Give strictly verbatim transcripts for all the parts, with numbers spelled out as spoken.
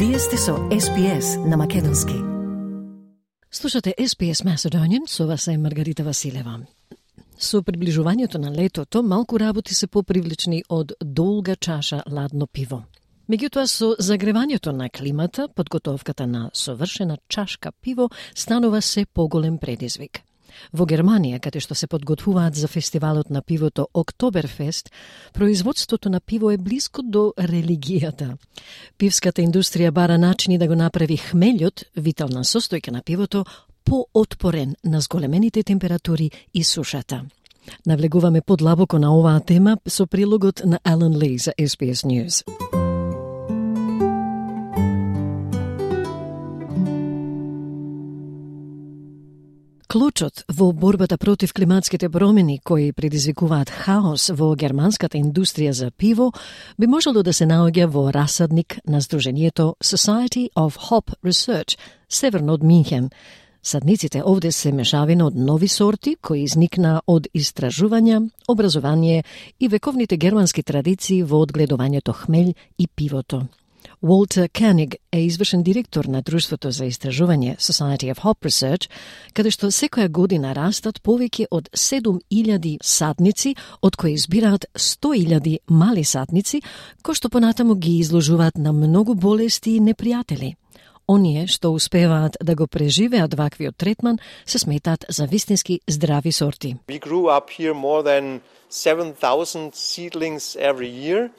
Вие сте со Ес Би Ес на македонски. Слушате Ес Би Ес Macedonian, со вас е Маргарита Василева. Со приближувањето на летото, малку работи се попривлечни од долга чаша ладно пиво. Меѓутоа, со загревањето на климата, подготовката на совршена чашка пиво станува се поголем предизвик. Во Германија, каде што се подготвуваат за фестивалот на пивото Октоберфест, производството на пиво е близко до религијата. Пивската индустрија бара начини да го направи хмелјот, витална состојка на пивото, поотпорен на зголемените температури и сушата. Навлегуваме подлабоко на оваа тема со прилогот на Алан Ли за Ес Би Ес News. Клучот во борбата против климатските промени кои предизвикуваат хаос во германската индустрија за пиво би можело да се наоѓа во расадник на Сдруженијето Society of Hop Research, северно од Минхен. Садниците овде се мешавина од нови сорти кои изникна од истражувања, образование и вековните германски традиции во одгледувањето хмелј и пивото. Walter Koenig е извршен директор на Друштвото за истражување Society of Hop Research, каде што секоја година растат повеќе од седум илјади садници, од кои избираат сто илјади мали садници, кои што понатаму ги изложуваат на многу болести и непријатели. Оние што успеваат да го преживеат ваквиот третман се сметаат за вистински здрави сорти. We grew up here more than seven thousand seedlings every year.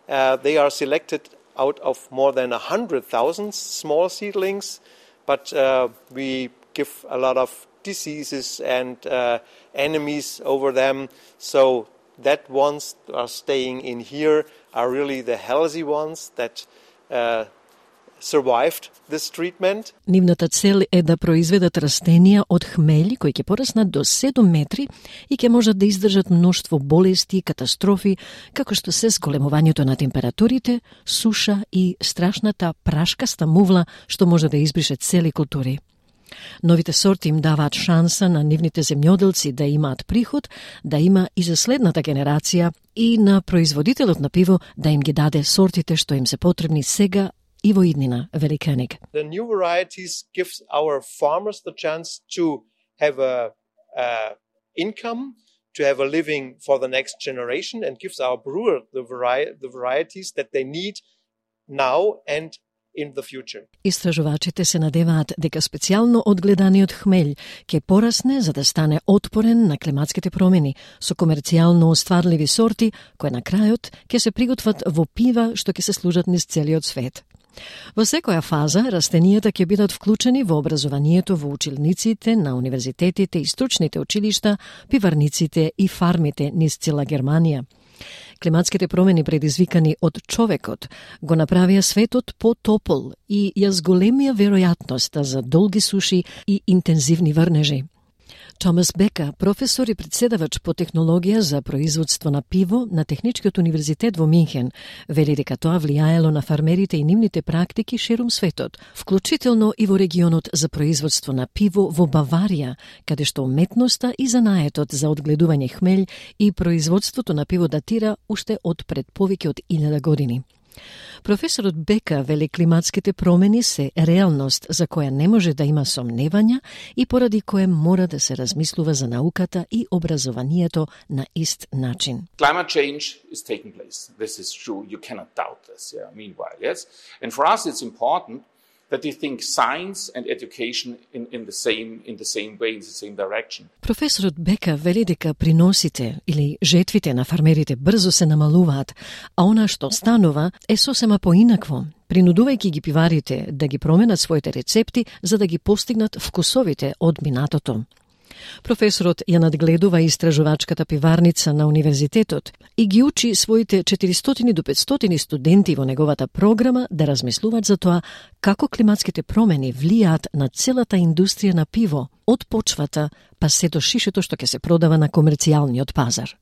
Uh, they are selected out of more than one hundred thousand small seedlings, but uh, we give a lot of diseases and uh, enemies over them, so that ones are staying in here are really the healthy ones that uh, survived this treatment. Нивната цел е да произведат растенија од хмели кои ќе пораснат до седум метри и ќе можат да издржат мноштво болести и катастрофи, како што се зголемувањето на температурите, суша и страшната прашкаста мувла што може да избрише цели култури. Новите сорти им даваат шанса на нивните земјоделци да имаат приход, да има и за следната генерација и на производителот на пиво да им ги даде сортите што им се потребни сега и во иднина, вели Koenig. The new varieties gives our farmers the chance to have a, a income, to have a living for the next generation, and gives our brewer the, vari- the varieties that they need now and in the future. Истражувачите се надеваат дека специјално одгледаниот хмелј ќе порасне за да стане отпорен на климатските промени со комерцијално остварливи сорти кои на крајот ќе се приготват во пива што ќе се служат низ целиот свет. Во секоја фаза, растенијата ќе бидат вклучени во образованието во училниците, на универзитетите и стручните училишта, пиварниците и фармите низ цела Германија. Климатските промени предизвикани од човекот го направија светот потопол и ја зголемија веројатноста за долги суши и интензивни врнежи. Томас Бека, професор и председавач по технологија за производство на пиво на Техничкиот универзитет во Минхен, вели дека тоа влијаело на фармерите и нивните практики ширум светот, вклучително и во регионот за производство на пиво во Баварија, каде што уметноста и занаетот за одгледување хмелј и производството на пиво датира уште од пред повеќе од илјада години. Професорот Бека вели климатските промени се реалност за која не може да има сомневања и поради која мора да се размислува за науката и образованието на ист начин. Climate change is taking place. This is true. You cannot doubt this. Yeah. Meanwhile, yes. And for us it's important that we think science and education in, in the same in the same way, in the same direction. Професорот Бека вели дека приносите или жетвите на фармерите брзо се намалуваат, а она што станува е сосема поинакво, принудувајќи ги пиварите да ги променат своите рецепти за да ги постигнат вкусовите од минатото. Професорот ја надгледува истражувачката пиварница на универзитетот и ги учи своите четиристотини до петстотини студенти во неговата програма да размислуваат за тоа како климатските промени влијаат на целата индустрија на пиво, од почвата па се до шишето што ќе се продава на комерцијалниот пазар.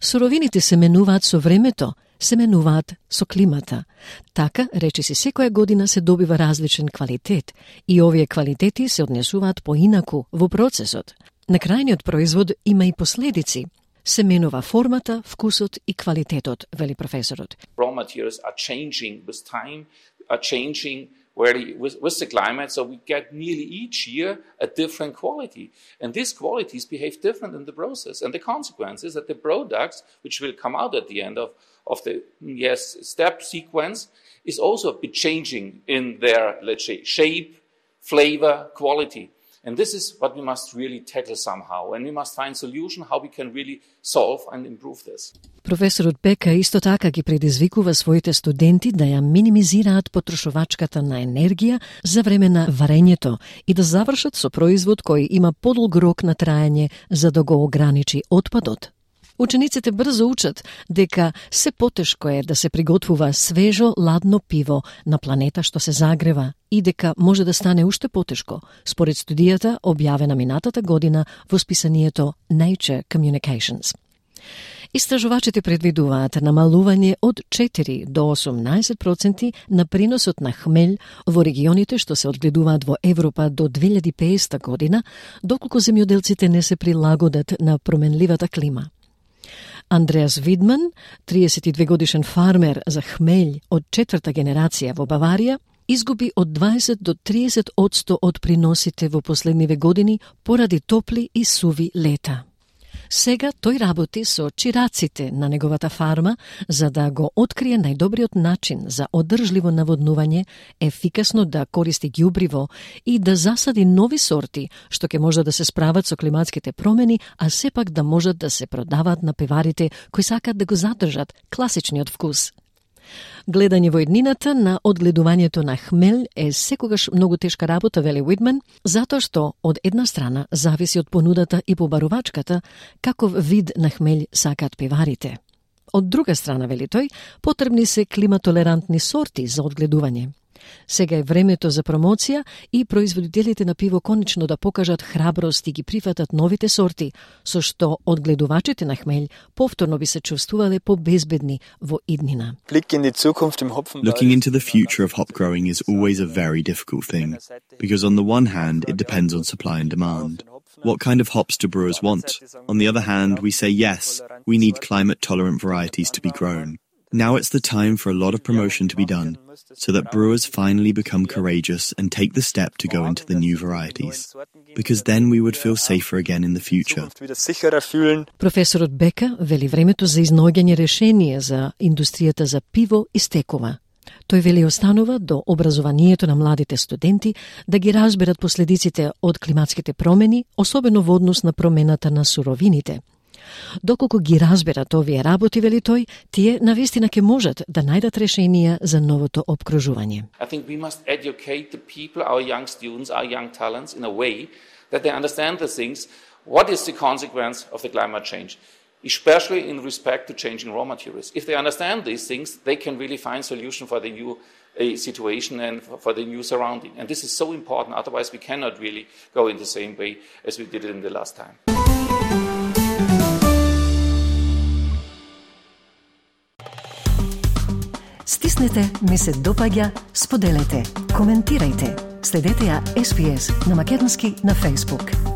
Суровините се менуваат со времето, се менуваат со климата. Така, речиси, секоја година се добива различен квалитет и овие квалитети се однесуваат поинаку во процесот. На крајниот производ има и последици. Се менува формата, вкусот и квалитетот, вели професорот. Raw materials are changing with time. are changing Where with, with the climate, so we get nearly each year a different quality. And these qualities behave different in the process. And the consequence is that the products, which will come out at the end of, of the yes step sequence, is also a bit changing in their, let's say, shape, flavor, quality. And this is what we must really tackle somehow. And we must find solution how we can really solve and improve this. Професорот Бека исто така ги предизвикува своите студенти да ја минимизираат потрошувачката на енергија за време на варењето и да завршат со производ кој има подолг рок на траење за да го ограничи отпадот. Учениците брзо учат дека се потешко е да се приготвува свежо, ладно пиво на планета што се загрева и дека може да стане уште потешко, според студијата објавена минатата година во списанието Nature Communications. Истражувачите предвидуваат намалување од четири до осумнаесет проценти на приносот на хмелј во регионите што се одгледуваат во Европа до две илјади и педесета година, доколку земјоделците не се прилагодат на променливата клима. Андреас Видман, триесет и две годишен фармер за хмелј од четврта генерација во Баварија, изгуби од дваесет до триесет одсто од приносите во последниве години поради топли и суви лета. Сега тој работи со чираците на неговата фарма за да го открие најдобриот начин за одржливо наводнување, ефикасно да користи ѓубриво и да засади нови сорти што ќе може да се справат со климатските промени, а сепак да можат да се продаваат на пиварите кои сакаат да го задржат класичниот вкус. Гледање во иднината на одгледувањето на хмелј е секогаш многу тешка работа, вели Уидман, затоа што од една страна зависи од понудата и побарувачката каков вид на хмелј сакаат пиварите. Од друга страна, вели тој, потребни се климатолерантни сорти за одгледување. Сега е времето за промоција и производителите на пиво конечно да покажат храброст и ги прифатат новите сорти, со што одгледувачите на хмелј повторно би се чувствувале побезбедни во иднина. Looking into the future of hop growing is always a very difficult thing, because on the one hand, it depends on supply and demand. What kind of hops do brewers want? On the other hand, we say yes, we need climate-tolerant varieties to be grown. Now it's the time for a lot of promotion to be done, so that brewers finally become courageous and take the step to go into the new varieties, because then we would feel safer again in the future. Професорот Бека вели времето за изнаоѓање решение за индустријата за пиво истекува. Тој вели останува до образованието на младите студенти да ги разберат последиците од климатските промени, особено во однос на промената на суровините. Доколку ги разберат овие работи, вели тој, тие навистина ќе можат да најдат решенија за новото обкружување. I think we must educate the people, our young students, our young talents in a way that they understand the things. What is the consequence of the climate change? Especially in respect to changing raw materials. If they understand these things, they can really find solution for the new uh, situation and for the new surrounding. And this is so important, otherwise we cannot really go in the same way as we did it in the last time. Стиснете, ми се допаѓа, споделете, коментирајте. Следете ја Ес Би Ес на македонски на Facebook.